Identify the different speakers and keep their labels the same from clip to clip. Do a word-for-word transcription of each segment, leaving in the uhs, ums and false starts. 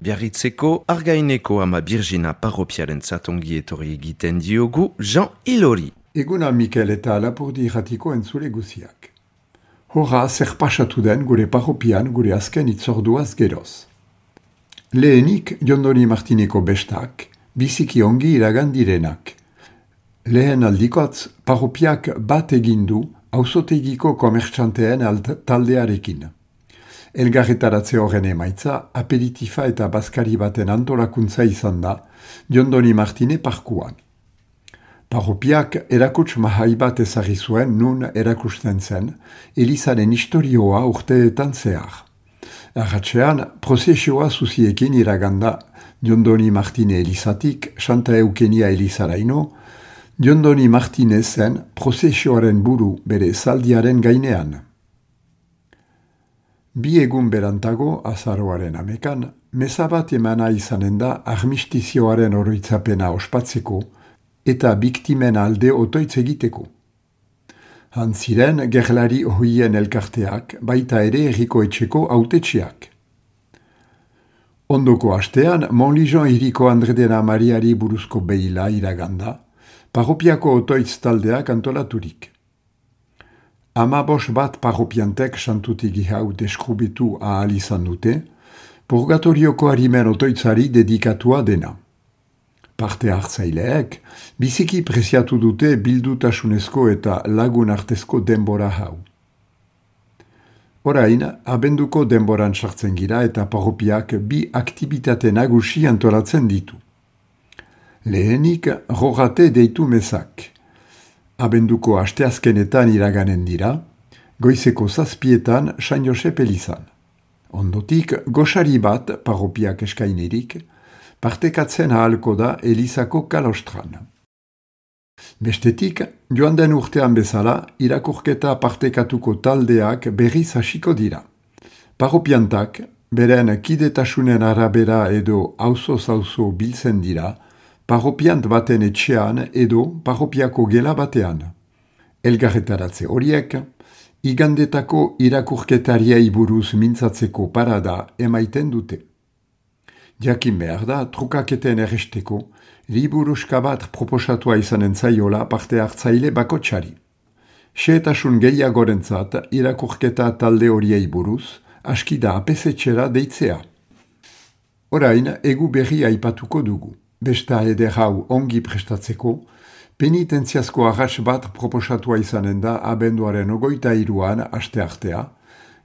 Speaker 1: Biarritzeko Argaineko ama Birjina parropiaren zatongi etorri egiten diogu Jean Ilori.
Speaker 2: Eguna Mikel eta Lapurdi irratiko entzule guziak. Horra zer pasatu den gure parropian gure azken itzorduaz geroz. Lehenik Jondoni Martineko bestak, biziki ongi iragan direnak. Lehen aldikotz parropiak bat egindu auzotegiko komertxanteen taldearekin. Elgarretaratze horren emaitza, aperitifa eta bazkari baten antolakuntza izan da, Jondoni Martine parkuan. Parropiak erakuts mahai bat ezarri zuen nun erakusten zen, Elizaren historioa urteetan zehar. Arratxean, prozesioa zuziekin iraganda Jondoni Martine Elizatik, Santa Eukenia Elizaraino, Jondoni Martine zen prozesioaren buru bere zaldiaren gainean. Bi egun berantago, azaroaren amekan, meza bat emana izanen da armistizioaren oroitzapena ospatzeko eta biktimen alde otoitz egiteko. Hantziren gerlari ohien elkarteak, baita ere herriko etxeko autetxeak. Ondoko astean, Monlijon hiriko Andredena Mariari buruzko behila iraganda, parropiako otoitz taldeak antolaturik. Ama bos bat parropiantek santutegi hau deskrubitu ahal izan dute, purgatorioko harimen otoitzari dedikatua dena. Parte hartzaileek, biziki preziatu dute bildutasunezko eta lagun artezko denbora hau. Orain, abenduko denboran sartzen gira eta parropiak bi aktibitate nagusi antolatzen ditu. Lehenik, rogate deitu mezak. Abenduko asteazkenetan iraganen dira, goizeko zazpietan San Josep Elizan. Ondotik, goxari bat parropiak eskainirik, partekatzen ahalko da Elizako kalostran. Bestetik, joan den urtean bezala, irakurketa partekatuko taldeak berriz hasiko dira. Parropiantak, beren kidetasunen arabera edo auzo-zauzo biltzen dira, parropiant baten etxean edo parropiako gela batean. Elgarretaratze horiek, igandetako irakurketariei buruz mintzatzeko parada emaiten dute. Jakin behar da, trukaketen erresteko, liburuska bat proposatua izanen zaiola parte hartzaile bakotxari. Xehetasun gehiagorentzat irakurketa talde horiei buruz, askida apesetxera deitzea. Orain, egu berri aipatuko dugu. Besta eder hau ongi prestatzeko, penitentziazko arras bat proposatua izanen da abenduaren ogoita iruan aste artea,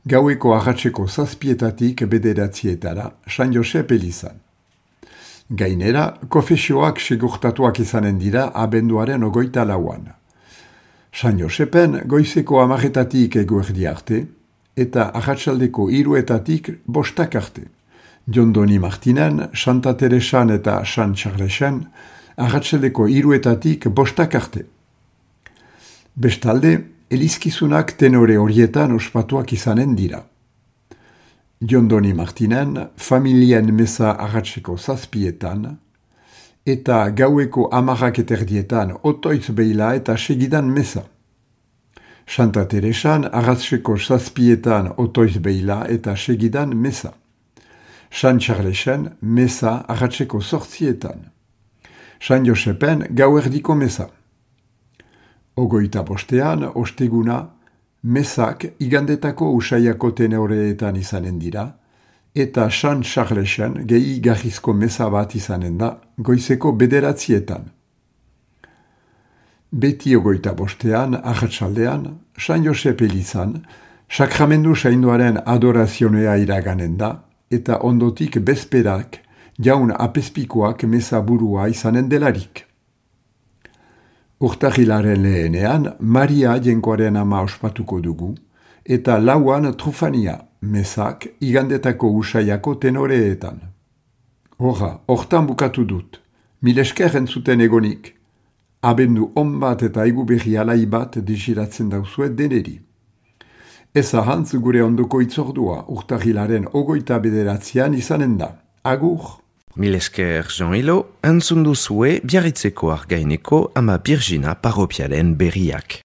Speaker 2: gaueko arratseko zazpietatik bederatzietara, San Josep Elizan. Gainera, kofesioak segurtatuak izanen dira abenduaren ogoita lauan. San Josepen goizeko amaretatik eguerdi arte, eta arratsaldeko iruetatik bostak arte. Jondoni Martinen, Santa Teresan eta San Charlesen, arratseldeko iruetatik bostak arte. Bestalde, elizkizunak tenore horietan ospatuak izanen dira. Jondoni Martinen, familien meza arratseko zazpietan, eta gaueko amarrak eterdietan otoitz behila eta segidan meza. Santa Teresan, arratseko zazpietan otoitz behila eta segidan meza. San Charlesen, meza arratseko zortzietan. San Josepen, gauerdiko meza. Ogoita bostean, osteguna, mezak igandetako usaiako tenoreetan izanen dira, eta San Charlesen gehi garrizko meza bat izanen da, goizeko bederatzietan. Beti ogoita bostean, arratsaldean, San Josep Elizan, sakramendu sainduaren adorazionea iraganen da, eta ondotik bezperak, jaun apespikoak meza burua izanen delarik. Urtarrilaren lehenean, Maria jenkoaren ama ospatuko dugu, eta lauan trufania, mezak, igandetako usaiako tenoreetan. Horra, hortan bukatu dut, milesker entzuten egonik, abendu on bat eta egu berri alai bat desiratzen dauzuet deneri. Ez ahantz gure ondoko itzordua, urtarrilaren ogoita bederatzean izanen da. Agur!
Speaker 1: Milesker Jean Ilo, entzun duzue Biarritzeko Argaineko ama Birjina parropiaren berriak.